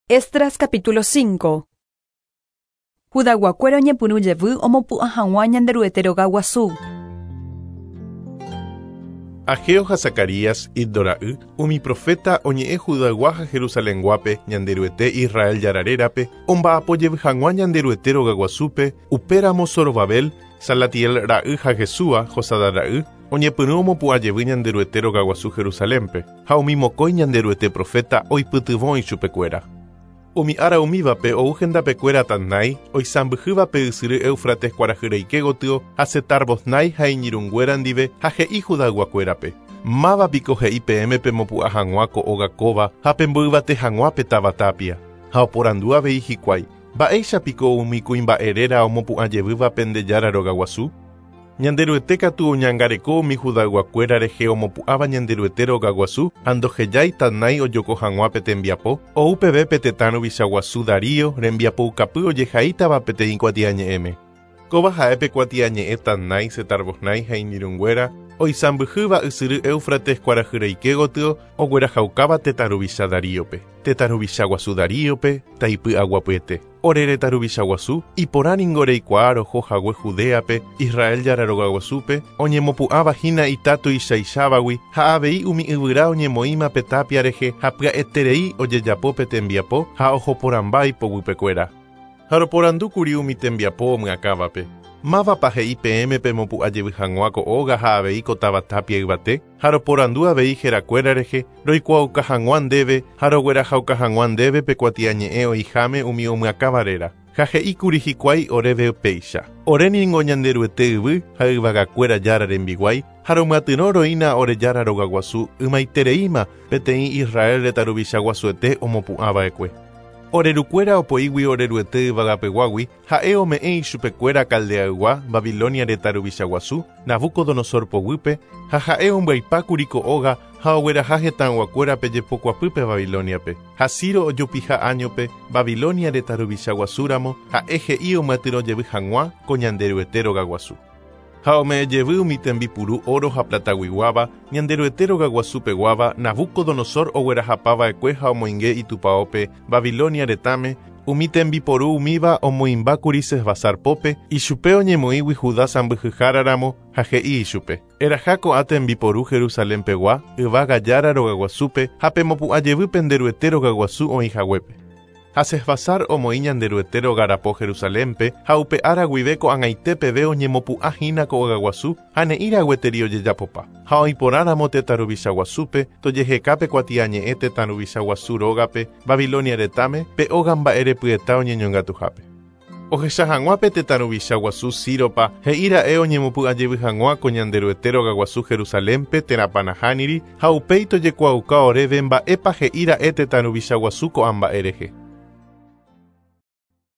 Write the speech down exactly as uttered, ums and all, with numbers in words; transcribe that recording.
Esdras capítulo cinco. Judayguakuéra oñepyrũ jevy omopu'ã hag̃ua Ñanderuete rogaguasu. Ageo ha Zacarías, Iddo ra'y, umi profeta oñe'ẽ Judaygua ha Jerusalenguápe, Ñanderuete Israel Jára rérape, omba'apo jevy hag̃ua Ñanderuete rogaguasúpe, upéramo Zorobabel, Salatiel ra'y ha Jesúa, Josadá ra'y, oñepyrũ omopu'ã jevy Ñanderuete rogaguasu Jerusalénpe, ha umi mokõi Ñanderuete profeta oipytyvõ ichupekuéra. Umi ára umívape ou hendapekuéra Tatnai, oisãmbyhývape ysyry Éufrates kuarahyreike gotyo ha Setar-Bosnai ha iñirũnguéra ndive ha he'i Judayguakuérape. Mávapiko he'i peẽme pemopu'ã hag̃ua ko óga kóva ha pemboyvate hag̃ua pe táva tapia. Ha oporandu avei hikuái, mba'éichapiko umi kuimba'e réra omopu'ã jevýva pende Jára rogaguasu? Ñanderuete katu oñangareko umi Judayguakuéra rehe omopu'ãva Ñanderuete rogaguasu ha ndohejái Tatnai ojoko hag̃ua pe tembiapo, ou peve pe tetã ruvichaguasu Darío rembiapoukapy ojehaítava peteĩ kuatiañe'ẽme. Kóva ha'e pe kuatiañe'ẽ Tatnai, Setar-Bosnai ha iñirũnguéra oisãmbyhýva ysyry Éufrates kuarahyreike gotyo oguerahaukáva tetã ruvicha Daríope. Tetã ruvichaguasu Daríope taipy'aguapyete. Ore retã ruvichaguasu iporãningo reikuaa roho hague Judeape, Israel Jára rogaguasúpe, oñemopu'ãva hína ita tuichaichavagui ha avei umi yvyra oñemoĩma pe tapia rehe ha pya'eterei ojejapo pe tembiapo ha ohoporãmba ipoguypekuéra. Ha roporandúkuri umi tembiapo omyakãvape. Mávapa he'i peẽme pemopu'ã jevy hag̃ua ko óga ha avei ko táva tapia yvate, ha roporandu avei herakuéra rehe, roikuaauka hag̃ua ndéve ha roguerahauka hag̃ua ndéve pe kuatiañe'ẽ oĩháme umi omyakãva réra. Ha he'íkuri hikuái oréve péicha. Oréningo Ñanderuete yvy ha yvagakuéra Jára rembiguái, ha romyatyrõ roína ore Jára rogaguasu ymaitereíma peteĩ Israel retã ruvichaguasuete omopu'ãva'ekue. Orerukuéra opoígui Oreruete yvagapeguágui, ha'e ome'ẽ ichupekuéra Caldeaygua, Babilonia retã ruvichaguasu, Nabucodonosor poguýpe, ha ha'e ombyaipákuri ko óga ha ogueraha hetãyguakuérape jepokuapýpe Babiloniape. Ha Ciro ojupiha áñope, Babilonia retã ruvichaguasúramo, ha'e he'i omyatyrõ jevy hag̃ua ko Ñanderuete rogaguasu. Ha ome'ẽ jevy umi tembipuru oro ha plataguiguáva, Ñanderuete rogaguasupeguáva, Nabucodonosor oguerahapava'ekue ha omoinge itupãópe Babilonia retãme, umi tembiporu umíva omoĩmbákuri Sesbasar pópe, ichupe oñemoĩgui Judá sãmbyhyháraramo ha he'i ichupe. Eraha ko'ã tembiporu Jerusalenpegua, yvága Jára rogaguasúpe ha pemopu'ã jevy Penderuete rogaguasu oĩhaguépe. Ha Sesbasar omoĩ Ñanderuete rogarapo Jerusalénpe ha upe ára guive ko'ag̃aite peve oñemopu'ã hína ko ogaguasu ha ne'ĩra gueteri ojejapopa. Ha oĩporãramo tetã ruvichaguasúpe, tojehekápe kuatiañe'ẽ tetã ruvichaguasu rógape, Babilonia retãme, pe óga mba'erepyeta oñeñongatuhápe. Ohecha hag̃ua pe tetã ruvichaguasu Círopa he'íra'e oñemopu'ã jevy hag̃ua ko Ñanderuete rogaguasu Jerusalénpe térãpa nahániri ha upéi tojekuaauka oréve mba'épa he'íra'e tetã ruvichaguasu ko'ã mba'e rehe.